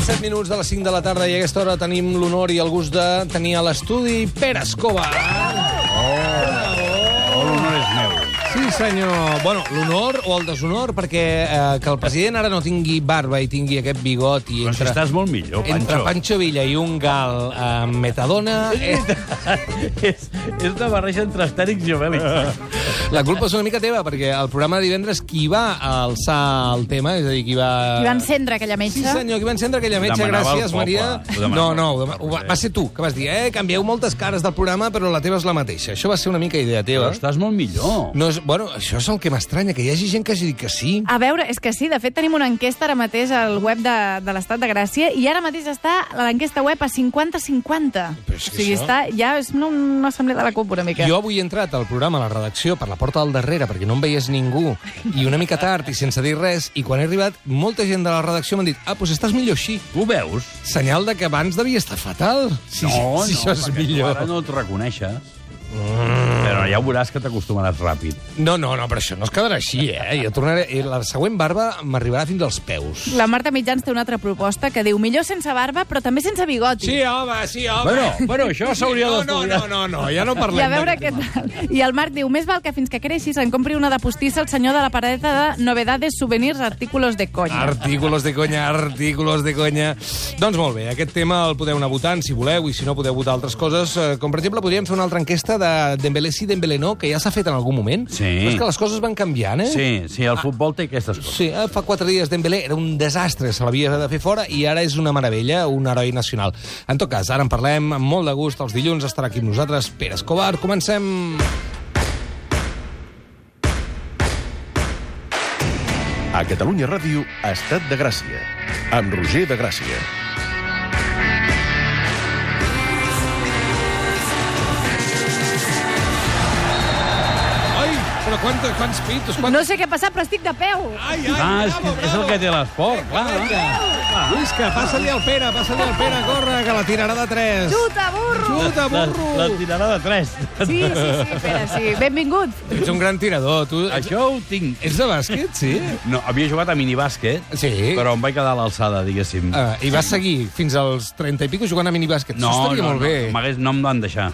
7 minuts de les 5 de la tarda i a aquesta hora tenim l'honor i el gust de tenir a l'estudi Pere Escobar. L'honor és meu. Sí, senyor. Bueno, l'honor o el deshonor, perquè que el president ara no tingui barba i tingui aquest bigot i Però si estàs molt millor, Pancho. entre Pancho Villa i un gal amb metadona... És una barreja entre astèrics i obèlics. La culpa és una mica teva, perquè el programa de divendres qui va alçar el tema, és a dir, qui va... Qui va encendre aquella metxa? Sí, senyor, qui va encendre aquella metxa, Demanava gràcies, el poble. Maria. No, va ser tu, que vas dir, canvieu moltes cares del programa, però la teva és la mateixa. Això va ser una mica idea teva. Però estàs molt millor. No és, bueno, això és el que m'estranya, que hi hagi gent que hagi dit que sí. A veure, és que sí, de fet tenim una enquesta ara mateix al web de l'Estat de Gràcia i ara mateix està l'enquesta web a 50-50. Però és que O sigui, això- està, ja és una assemblea de la CUP una mica. Jo avui he entrat al programa, a la redacció, per la porta del darrere, perquè no em veies ningú, i una mica tard i sense dir res, i quan he arribat, molta gent de la redacció m'ha dit doncs estàs millor així. Tu ho veus? Senyal de que abans devia estar fatal. Si això és perquè millor. tu ara no et reconeixes. Però ja veuràs que t'acostumaràs ràpid. No, però això no es quedarà així, Jo tornaré... La següent barba m'arribarà fins als peus. La Marta Mitjans té una altra proposta que diu millor sense barba, però també sense bigoti. Sí, home. Bueno, això s'hauria d'estudiar. No, ja no I parlem a veure què d'aquest tema. tal. I el Marc diu, més val que fins que creixis en compri una de postissa el senyor de la paradeta de novedades, souvenirs, artículos de conya. Artículos de conya. Doncs molt bé, aquest tema el podeu anar votant, si voleu, i si no podeu votar altres coses, com per exemple podríem fer una altra enquesta de Dembélé sí, Dembélé no, que ja s'ha fet en algun moment. Sí. Però és que les coses van canviant, Sí, el futbol té aquestes coses. Sí, fa 4 dies Dembélé era un desastre, se l'havia de fer fora, i ara és una meravella, un heroi nacional. En tot cas, ara en parlem amb molt de gust. Els dilluns estarà aquí amb nosaltres Pere Escobar. Comencem... A Catalunya Ràdio, Estat de Gràcia, amb Roger de Gràcia. Ai, però quants pitos, No sé què ha passat, però estic de peu. Ai, És el que té l'esport, clar. Visca, passa-li al Pere, corre, que la tirarà de 3. Xuta, burro! Xuta, burro! La tirarà de 3. Sí, Pere, sí. Benvingut. Ets un gran tirador, tu. Això ho tinc. Ets de bàsquet, sí? No, havia jugat a minibàsquet, Sí. però em vaig quedar a l'alçada, diguéssim. I vas seguir fins als 30 i pico jugant a minibàsquet. Això estaria molt bé. No em van deixar.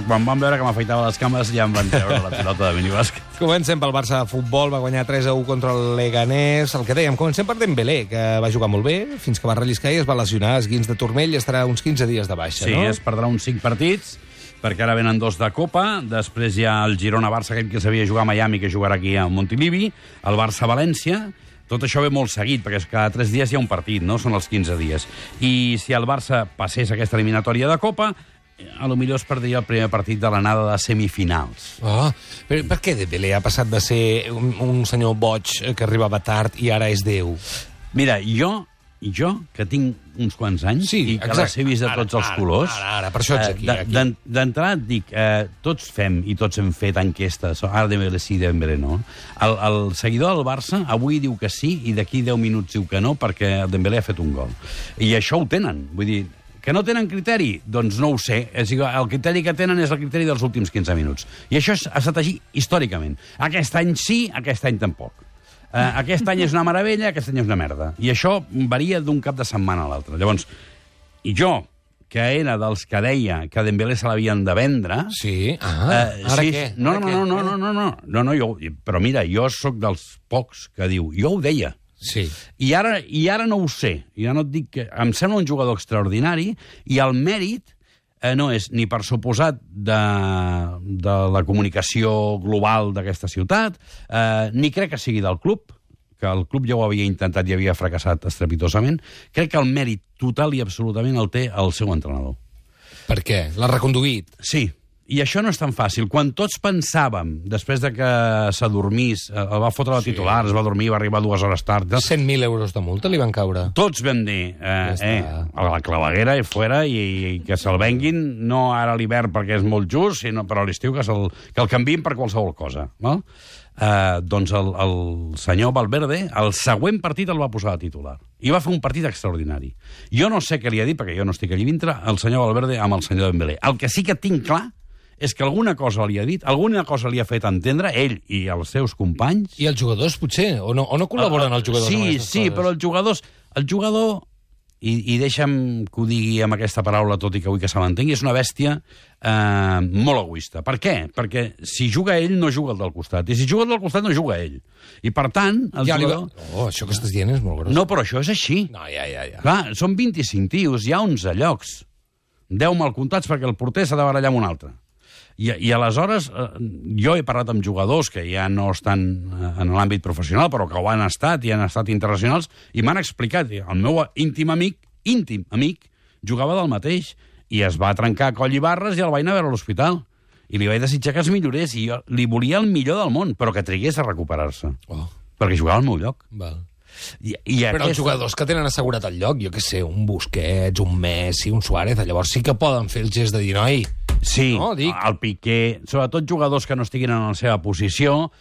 Quan van veure que m'afeitava les cames ja em van treure la pilota de minibàsquet. Comencem pel Barça de futbol, va guanyar 3-1 contra el Leganés. El que dèiem, comencem per Dembélé, que va jugar molt bé, fins que va relliscar i es va lesionar, esguins de turmell, i estarà uns 15 dies de baixa, Sí, no? es perdrà uns 5 partits, perquè ara venen 2 de Copa, després hi ha el Girona-Barça, aquell que sabia jugar a Miami, que jugarà aquí a Montilivi, el Barça-València. Tot això ve molt seguit, perquè cada 3 dies hi ha un partit, no? Són els 15 dies. I si el Barça passés aquesta eliminatòria de Copa, a lo millor es perdria el primer partit de l'anada de semifinals. Oh, però per què Dembélé ha passat de ser un senyor boig que arribava tard i ara és Déu? Mira, jo, que tinc uns quants anys i que les he vist de tots els colors... Ara, per això ets aquí. D'entrada et dic, tots fem i tots hem fet enquestes, ara Dembélé sí, Dembélé no. El seguidor del Barça avui diu que sí i d'aquí 10 minuts diu que no perquè el Dembélé ha fet un gol. I això ho tenen, vull dir... Que no tenen criteri? Doncs no ho sé. El criteri que tenen és el criteri dels últims 15 minuts. I això ha estat així històricament. Aquest any sí, aquest any tampoc. Aquest any és una meravella, aquest any és una merda. I això varia d'un cap de setmana a l'altre. Llavors, i jo, que era dels que deia que a Dembélé se l'havien de vendre... Sí? Ara sí, què? No, però mira, jo sóc dels pocs que diu... Jo ho deia. Sí. I ara no ho sé. Ja no et dic que... Em sembla un jugador extraordinari i el mèrit no és ni per suposat de la comunicació global d'aquesta ciutat, ni crec que sigui del club, que el club ja ho havia intentat i havia fracassat estrepitosament. Crec que el mèrit total i absolutament el té el seu entrenador. Per què? L'ha reconduït? Sí. I això no és tan fàcil. Quan tots pensàvem, després de que s'adormís, el va fotre la titular, es va dormir, va arribar 2 hores tard... 100.000 euros de multa li van caure. Tots vam dir, a la claveguera i fora, i que se'l venguin, no ara a l'hivern perquè és molt just, sinó però a l'estiu que el canviïn per qualsevol cosa. No? Doncs el senyor Valverde, el següent partit el va posar de titular. I va fer un partit extraordinari. Jo no sé què li ha dit, perquè jo no estic allí dintre, el senyor Valverde amb el senyor Dembélé. El que sí que tinc clar és que alguna cosa li ha dit, alguna cosa li ha fet entendre, ell i els seus companys... I els jugadors, potser? O no col·laboren els jugadors amb aquestes coses? Sí, però el jugador i deixa'm que ho digui amb aquesta paraula, tot i que vull que se m'entengui, és una bèstia molt egoista. Per què? Perquè si juga ell, no juga el del costat. I si juga el del costat, no juga ell. I per tant, el jugador... això que estàs dient és molt gros. No, però això és així. No, ja. Clar, són 25 tios, hi ha 11 llocs. 10 mal comptats perquè el porter s'ha de barallar amb un altre. I aleshores, jo he parlat amb jugadors que ja no estan en l'àmbit professional, però que ho han estat i han estat internacionals, i m'han explicat, el meu íntim amic, jugava del mateix, i es va trencar a coll i barres i el vaig anar a veure a l'hospital. I li vaig desitjar que es millorés, i jo li volia el millor del món, però que trigués a recuperar-se. Perquè jugava al meu lloc. Val. Però els jugadors que tenen assegurat el lloc, jo què sé, un Busquets, un Messi, un Suárez, llavors sí que poden fer el gest de dir, noi... Sí, no, el Piqué, sobretot jugadors que no estiguin en la seva posició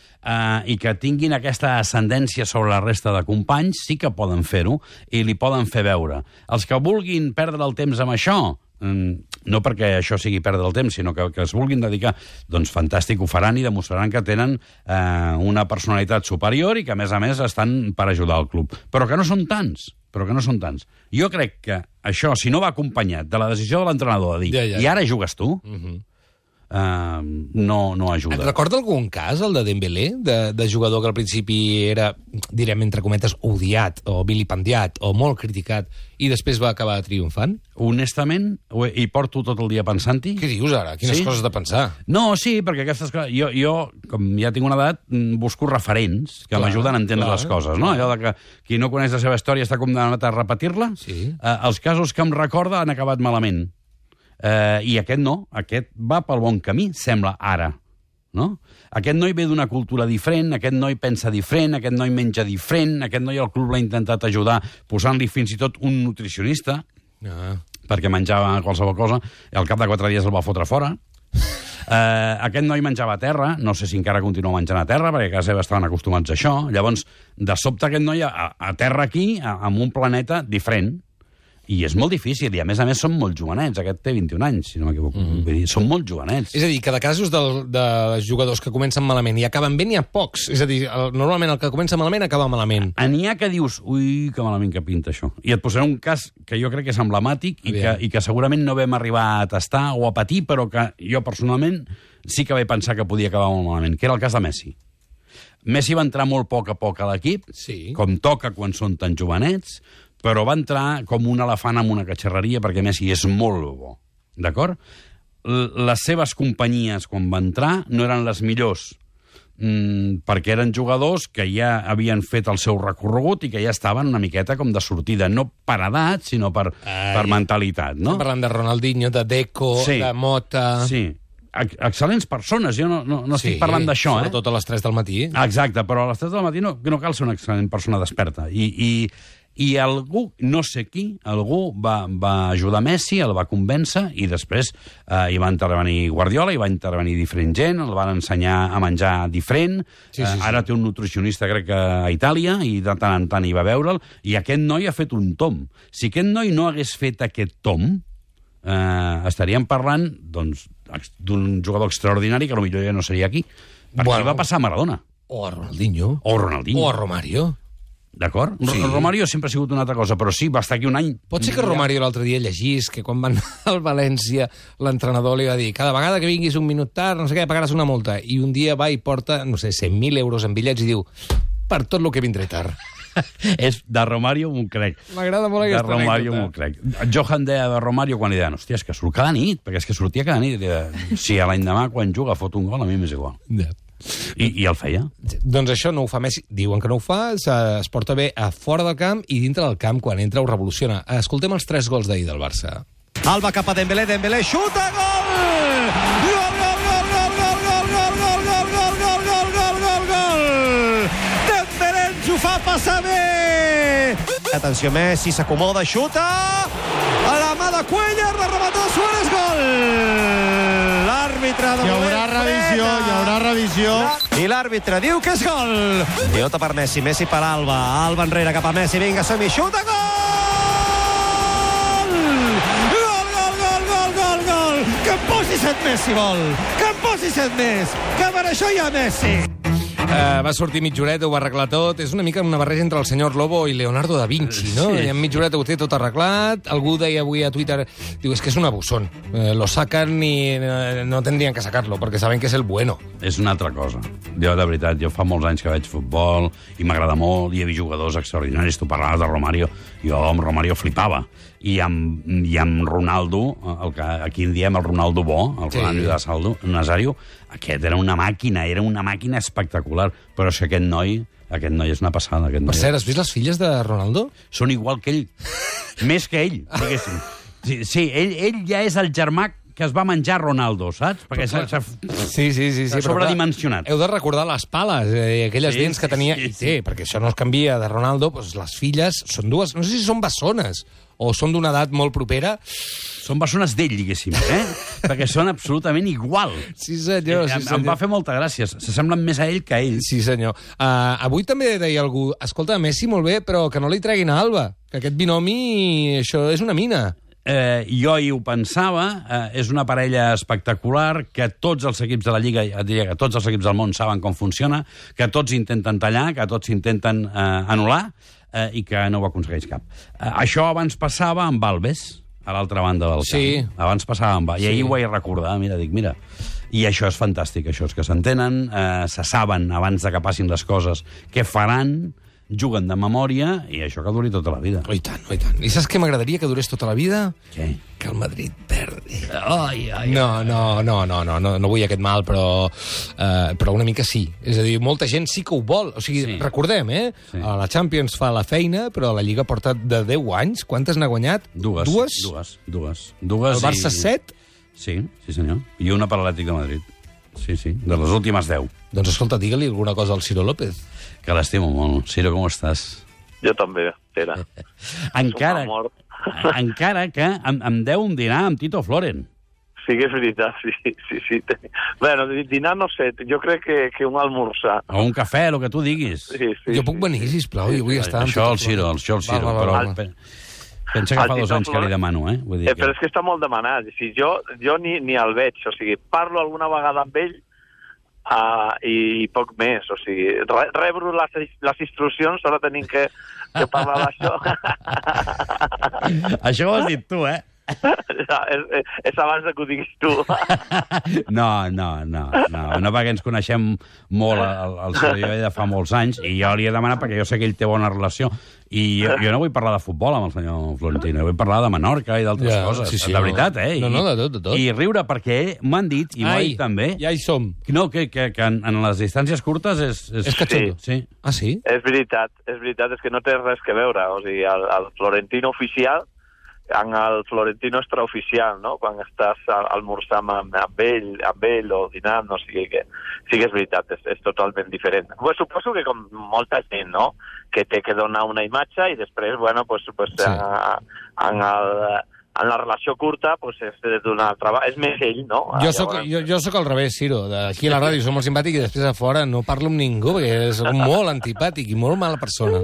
i que tinguin aquesta ascendència sobre la resta de companys, sí que poden fer-ho i li poden fer veure. Els que vulguin perdre el temps amb això, no perquè això sigui perdre el temps, sinó que es vulguin dedicar, doncs fantàstic, ho faran i demostraran que tenen una personalitat superior i que, a més, estan per ajudar el club. Però que no són tants. Jo crec que això, si no va acompanyat de la decisió de l'entrenador de dir i ara jugues tu, no ajuda. Et recorda algun cas, el de Dembélé, de jugador que al principi era, direm entre cometes, odiat o vilipendiat o molt criticat i després va acabar triomfant? Honestament, hi porto tot el dia pensant-hi. Què dius ara? Quines coses de pensar? No, sí, perquè aquestes coses... Jo, com ja tinc una edat, busco referents que m'ajuden a entendre les coses, no? Allò de que qui no coneix la seva història està condemnat a repetir-la. Els casos que em recorda han acabat malament. I aquest no, aquest va pel bon camí, sembla, ara. No? Aquest noi ve d'una cultura diferent, aquest noi pensa diferent, aquest noi menja diferent, aquest noi el club l'ha intentat ajudar posant-li fins i tot un nutricionista, perquè menjava qualsevol cosa, i al cap de 4 dies el va fotre fora. Aquest noi menjava a terra, no sé si encara continua menjant a terra, perquè a casa seva estaven acostumats a això. Llavors, de sobte aquest noi a terra aquí, en un planeta diferent. I és molt difícil, i a més són molt jovenets. Aquest té 21 anys, si no m'equivoco. Són molt jovenets. És a dir, que de casos de jugadors que comencen malament i acaben bé n'hi ha pocs. És a dir, normalment el que comença malament acaba malament. N'hi ha que dius, ui, que malament que pinta això. I et posaré un cas que jo crec que és emblemàtic i que segurament no vam arribar a tastar o a patir, però que jo personalment sí que vaig pensar que podia acabar molt malament, que era el cas de Messi. Messi va entrar molt a poc a l'equip, com toca quan són tan jovenets, però va entrar com un elefant en una catxarreria perquè Messi és molt bo, d'acord? Les seves companyies, quan va entrar, no eren les millors, perquè eren jugadors que ja havien fet el seu recorregut i que ja estaven una miqueta com de sortida, no per edat, sinó per mentalitat, no? Estem parlant de Ronaldinho, de Deco, de Mota... Sí, excel·lents persones, jo no estic parlant d'això, sobretot a les 3 del matí. Exacte, però a les 3 del matí no cal ser una excel·lent persona desperta. I algú, no sé qui, algú va ajudar Messi, el va convèncer, i després hi va intervenir Guardiola, hi va intervenir diferent gent, el van ensenyar a menjar diferent, ara té un nutricionista, crec que a Itàlia, i de tant en tant hi va veure'l, i aquest noi ha fet un tom. Si aquest noi no hagués fet aquest tom, estaríem parlant d'un jugador extraordinari que potser ja no seria aquí. Perquè va passar a Maradona. O a Ronaldinho. O a Romario. D'acord? Sí. Romario sempre ha sigut una altra cosa, però sí, va estar aquí un any. Pot ser que Romario l'altre dia llegís que quan van al València l'entrenador li va dir cada vegada que vinguis un minut tard, no sé què, pagaràs una multa. I un dia va i porta, no sé, 100.000 euros en bitllets i diu per tot el que vindré tard. És de Romario m'ho crec. M'agrada molt aquesta anècdota. De Romario m'ho crec. Johan deia de Romario quan li deien, hòstia, és que surt cada nit, perquè és que sortia cada nit. Si a l'any demà quan juga fot un gol, a mi m'és igual. I el feia. Doncs això no ho fa Messi. Diuen que no ho fa, es porta bé a fora del camp i dintre del camp, quan entra ho revoluciona. Escoltem els 3 gols d'ahir del Barça. Alba cap a Dembélé, Dembélé xuta, gol! Gol, gol, gol, gol, gol, gol, gol, gol, gol, gol, gol, gol, gol, gol, gol! Dembélé ens ho fa passar bé! Atenció, Messi s'acomoda, xuta! A la mà de Cuellar, la remata de Suárez, gol! L'àrbitre de moment... Hi haurà revisió. I l'àrbitre diu que és gol! Pilota per Messi, Messi per Alba. Alba enrere cap a Messi, vinga, som-hi, xuta, gol! Gol, gol, gol, gol, gol, gol! Que em posi 7 més, si vol! Que em posi 7 més! Que per això hi ha Messi! Va sortir mitjoreta, ho va arreglar tot. És una mica una barreja entre el senyor Lobo i Leonardo da Vinci, no? Sí. I en mitjoreta ho té tot arreglat. Algú deia avui a Twitter, diu, és que és un abusón. Lo sacan i no tendrien que sacarlo, perquè saben que és el bueno. És una altra cosa. Jo, de veritat, jo fa molts anys que veig futbol i m'agrada molt, i he vist jugadors extraordinaris. Tu parlaves de Romario. Jo amb Romario flipava. I amb Ronaldo, el que aquí en diem el Ronaldo bo, el Ronaldo Nazario, aquest era una màquina espectacular. Però és que aquest noi és una passada. Per cert, has vist les filles de Ronaldo? Són igual que ell. Més que ell, diguéssim. Sí, ell ja és el germà que es va menjar Ronaldo, saps? Perquè Sí. sobredimensionat. Heu de recordar les pales, aquelles dents que tenia. I té, perquè això no es canvia de Ronaldo, doncs les filles són dues, no sé si són bessones o són d'una edat molt propera. Són bessones d'ell, diguéssim, perquè són absolutament igual. Sí, senyor. Em va fer molta gràcia. S'assemblen més a ell que a ell. Sí, senyor. Avui també deia algú, escolta, Messi molt bé, però que no li treguin a Alba, que aquest binomi, això és una mina. Jo hi ho pensava, és una parella espectacular, que tots els equips de la Lliga, que tots els equips del món saben com funciona, que tots intenten tallar, que tots intenten anul·lar, i que no ho aconsegueix cap. Això abans passava amb Alves, a l'altra banda del camp. Sí. Abans passava amb Alves. I ahir ho vaig recordar, mira. I això és fantàstic, això és que s'entenen, se saben abans de que passin les coses què faran, juguen de memòria, i això que duri tota la vida. Oh, i tant, oh, i tant. I saps què m'agradaria que durés tota la vida? Què? Que el Madrid perdi. No vull aquest mal, però una mica sí. És a dir, molta gent sí que ho vol. O sigui, Sí. recordem, Sí. La Champions fa la feina, però la Lliga porta de 10 anys. Quantes n'ha guanyat? Dues. El Barça 7? Sí, senyor. I una per l'Atlètic de Madrid. Sí, de les últimes 10. Doncs escolta, digue-li alguna cosa al Ciro López. Que l'estimo molt. Ciro, com estàs? Jo també, Pere. Encara que em deu un dinar amb Tito Floren. Sí que és veritat, sí. Bueno, dinar no sé, jo crec que un almorzar. O un cafè, el que tu diguis. Sí, Jo puc venir, sisplau, jo vull estar... Això el Ciro, Va. però... Pensa que fa 2 anys que li demano, Vull dir Però és que està molt demanat. Si jo ni el veig, o sigui, parlo alguna vegada amb ell i poc més, o sigui, rebro les instruccions, ara tenim que parlar d'això. Això ho has dit tu, És abans que ho diguis tu. No, perquè ens coneixem molt el Ciro de fa molts anys, i jo li he demanat perquè jo sé que ell té bona relació, i jo no vull parlar de futbol amb el senyor Florentino, vull parlar de Menorca i d'altres coses, sí, de veritat, No, de tot. I riure perquè m'han dit, i m'ho dit també, ja hi som. no, que en les distàncies curtes és catxondo. Sí. Ah, sí? És veritat, és que no té res que veure, o sigui, el Florentino oficial en el Florentino extraoficial, no? Quan estàs almorzant amb ell o dinant, no sigui que... Sí que és veritat, és totalment diferent. Pues suposo que com molta gent, no? Que té que donar una imatge i després, bueno, pues Sí. en la relació curta, pues és d'una altra... És més ell, no? Jo soc al revés, Ciro. Aquí a la ràdio som molt simpàtic i després a fora no parlo amb ningú perquè soc molt antipàtic i molt mala persona.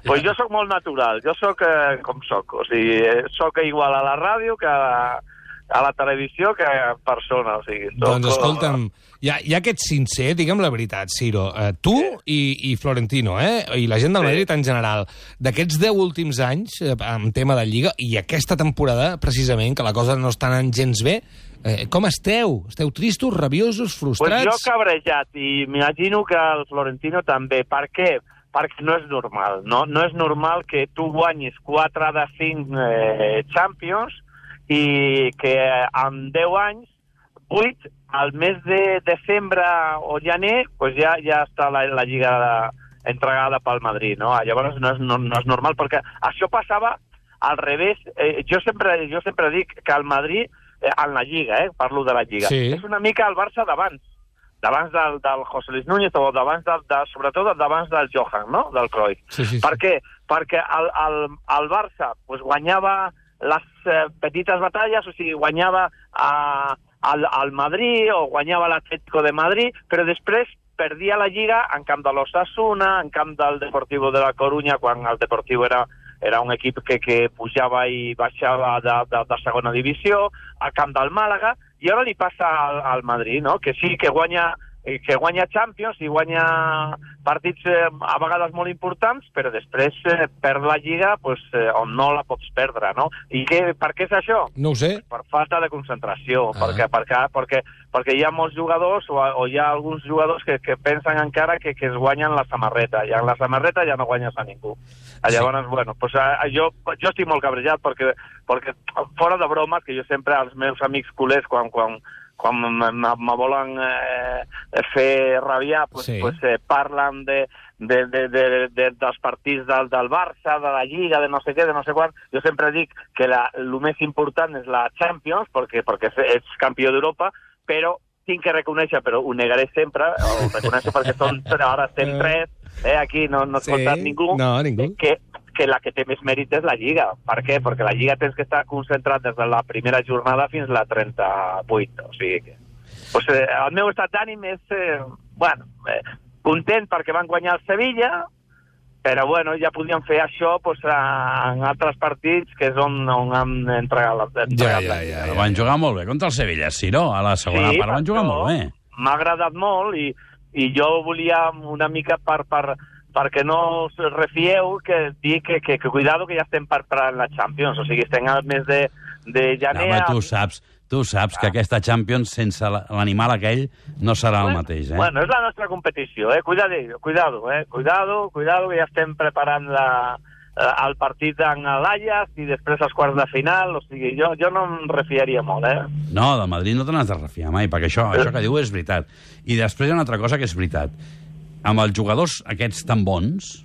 Pues jo sóc molt natural, jo sóc com sóc. O sigui, sóc igual a la ràdio que a la televisió que en persona. O sigui, Doncs escolta'm, ja que ets sincer, digue'm la veritat, Ciro. Tu i Florentino, i la gent del Madrid en general, d'aquests 10 últims anys, en tema de Lliga, i aquesta temporada, precisament, que la cosa no està anant gens bé, com esteu? Esteu tristos, rabiosos, frustrats? Pues jo cabrejat, i m'imagino que el Florentino també. Per què? Perquè no és normal. No és normal que tu guanyis 4 de 5 Champions i que en 10 anys, 8, al mes de desembre o gener, pues ja està la Lliga entregada pel Madrid, no? Llavors no és normal, perquè això passava al revés. Jo sempre dic que el Madrid, en la Lliga, parlo de la Lliga, és una mica el Barça d'abans del José Luis Núñez, o sobretot d'abans del Johan, no? Del Cruyff. Sí. Per què? Perquè el Barça pues, guanyava les petites batalles, o sigui, guanyava al Madrid o guanyava l'Atlético de Madrid, però després perdia la Lliga en camp de l'Osasuna, en camp del Deportivo de la Coruña, quan el Deportivo era un equip que pujava i baixava de segona divisió, al camp del Màlaga, i ara li passa al Madrid, no? Que sí que guanya que guanya Champions i guanya partits a vegades molt importants, però després perd la Lliga on no la pots perdre, no? I per què és això? No ho sé. Per falta de concentració, perquè hi ha molts jugadors o hi ha alguns jugadors que pensen encara que es guanyen la samarreta, i en la samarreta ja no guanyes a ningú. Llavors, bueno, jo estic molt cabrejat perquè fora de bromes, que jo sempre als meus amics culers, quan me volen fer rabiar, parlen dels partits del Barça, de la Lliga, de no sé què, de no sé quan. Jo sempre dic que el més important és la Champions, perquè ets campió d'Europa, però tinc que reconèixer, però ho negaré sempre, ho reconeixo perquè ara estem 3, aquí no has contat ningú, que la que té més mèrit és la Lliga. Per què? Perquè la Lliga tens que estar concentrat des de la primera jornada fins a la 38. O sigui que... el meu estat d'ànim és... content perquè van guanyar el Sevilla, però ja podien fer això en altres partits, que és on han entregat la Ja. Van jugar molt bé contra el Sevilla, sí, no? A la segona part van jugar molt bé. M'ha agradat molt i jo volia una mica perquè no us refieu que dir que cuidado que ja estem preparant la Champions, o sigui, estem al mes de gener... Tu saps que aquesta Champions sense l'animal aquell no serà el mateix, eh? Bueno, és la nostra competició, cuidado, que ja estem preparant el partit en l'Ajax i després els quarts de final, o sigui, jo no em refiaria molt, eh? No, del Madrid no te n'has de refiar mai, perquè això que diu és veritat. I després hi ha una altra cosa que és veritat. Amb els jugadors aquests tan bons,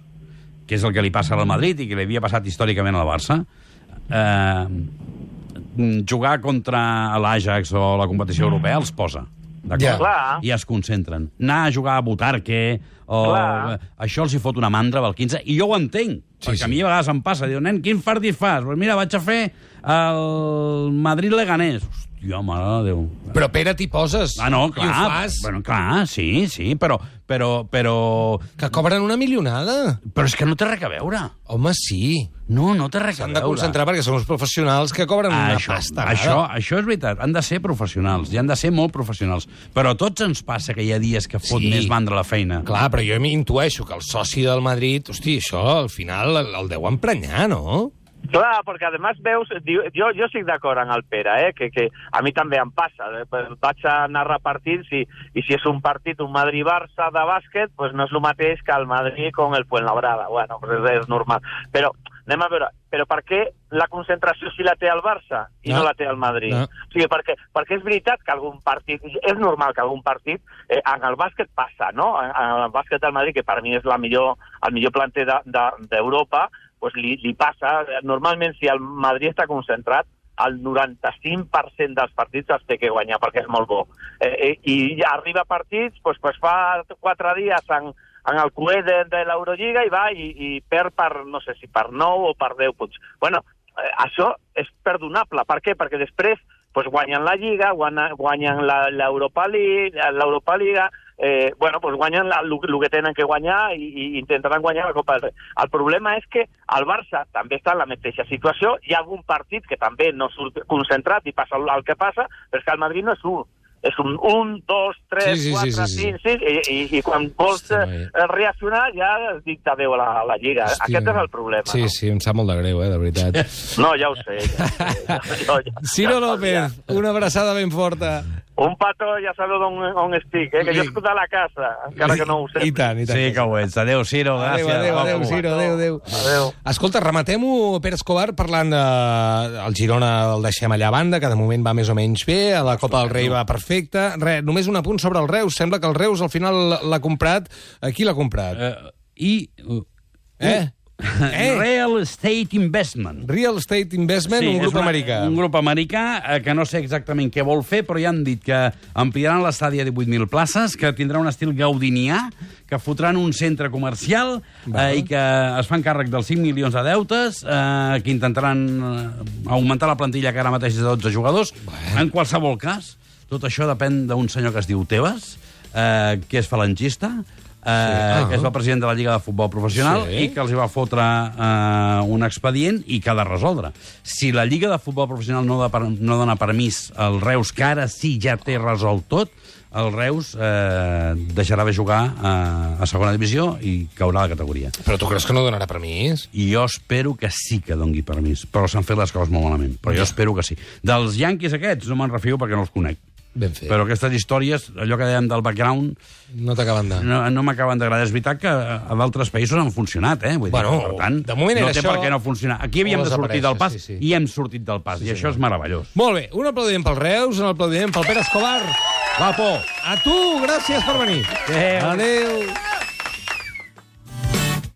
que és el que li passa al Madrid i que li havia passat històricament al Barça, jugar contra l'Ajax o la competició europea els posa, d'acord? I es concentren. Anar a jugar a Butarque, això els hi fot una mandra del 15, i jo ho entenc, perquè a mi a vegades em passa, diu, nen, quin partit fas? Pues mira, vaig a fer el Madrid-Leganés. Hòstia, mare de Déu. Però, Pere, t'hi poses. No, clar. I ho fas. Bueno, clar, sí, però... Que cobren una milionada. Però és que no té res a veure. Home, sí. No té res a veure. S'han de concentrar perquè són uns professionals que cobren una pasta. Això és veritat. Han de ser professionals. I han de ser molt professionals. Però a tots ens passa que hi ha dies que fot més mandra la feina. Clar, però jo m'intueixo que el soci del Madrid, hosti, això al final el deu emprenyar, no? Clar, perquè a més veus, jo estic d'acord amb el Pere, que a mi també em passa, vaig a narrar partits i si és un partit, un Madrid-Barça de bàsquet, pues no és el mateix que el Madrid con el Fuenlabrada, bueno, pues és normal, però anem a veure, però per què la concentració si la té el Barça i no la té el Madrid? O sigui, perquè és veritat que algun partit, és normal que algun partit, en el bàsquet passa, no? En el bàsquet del Madrid, que per mi és el millor planter d'Europa, pues li passa, normalment si el Madrid està concentrat, el 95% dels partits els té que guanyar, perquè és molt bo. I arriba a partits, pues fa 4 dies en el cué de l'Eurolliga i va i perd per, no sé si per 9 o per 10 punts. Bueno, això és perdonable. Per què? Perquè després guanyen la Lliga, guanyen l'Europa Liga, guanyen el que tenen que guanyar i intentaran guanyar la Copa del Rei. El problema és que el Barça també està en la mateixa situació, hi ha algun partit que també no surt concentrat i passa el que passa, però és que el Madrid no és és un 1, 2, 3, 4, 5, 6, i quan vols reaccionar ja has dit adéu a la Lliga. Aquest és el problema. Sí, em sap molt de greu, de veritat. No, ja ho sé. Ciro López, una abraçada ben forta. Un petó, ja sabeu on estic, que jo estic a la casa, encara que no ho sé. I tant. Sí que ho ets. Adéu, Ciro, gràcies. Adéu, Ciro, adéu. Escolta, rematem-ho, Pere Escobar, parlant del Girona, el deixem allà a banda, que de moment va més o menys bé, a la Copa del Rei va perfecte. Només un apunt sobre el Reus. Sembla que el Reus al final l'ha comprat. Qui l'ha comprat? Real Estate Investment. Real Estate Investment, un grup americà. Un grup americà que no sé exactament què vol fer, però ja han dit que ampliaran l'estadi a 18.000 places, que tindrà un estil gaudinià, que fotran un centre comercial i que es fan càrrec dels 5 milions de deutes, que intentaran augmentar la plantilla, que ara mateix és de 12 jugadors. En qualsevol cas, tot això depèn d'un senyor que es diu Tebas, que és falangista, que és el president de la Lliga de Futbol Professional i que els va fotre un expedient i que ha de resoldre. Si la Lliga de Futbol Professional no dona permís al Reus, que ara sí ja té resolt tot, el Reus deixarà de jugar a segona divisió i caurà a la categoria. Però tu creus que no donarà permís? I jo espero que sí que dongui permís, però s'han fet les coses molt malament. Però jo espero que sí. Dels Yankees aquests no me'n refio perquè no els conec. Ben fet. Però aquestes històries, allò que dèiem del background, No t'acaben de... no m'acaben d'agradar. És veritat que a d'altres països han funcionat, Vull dir, Bueno, per tant, de moment no era té això, per què no funcionar. Aquí havíem o de sortir del pas desaparèixer, i hem sortit del pas, i això és meravellós. Molt bé, un aplaudiment pel Reus, un aplaudiment pel Pere Escobar. Va, por! A tu, gràcies per venir. Adéu. Adéu.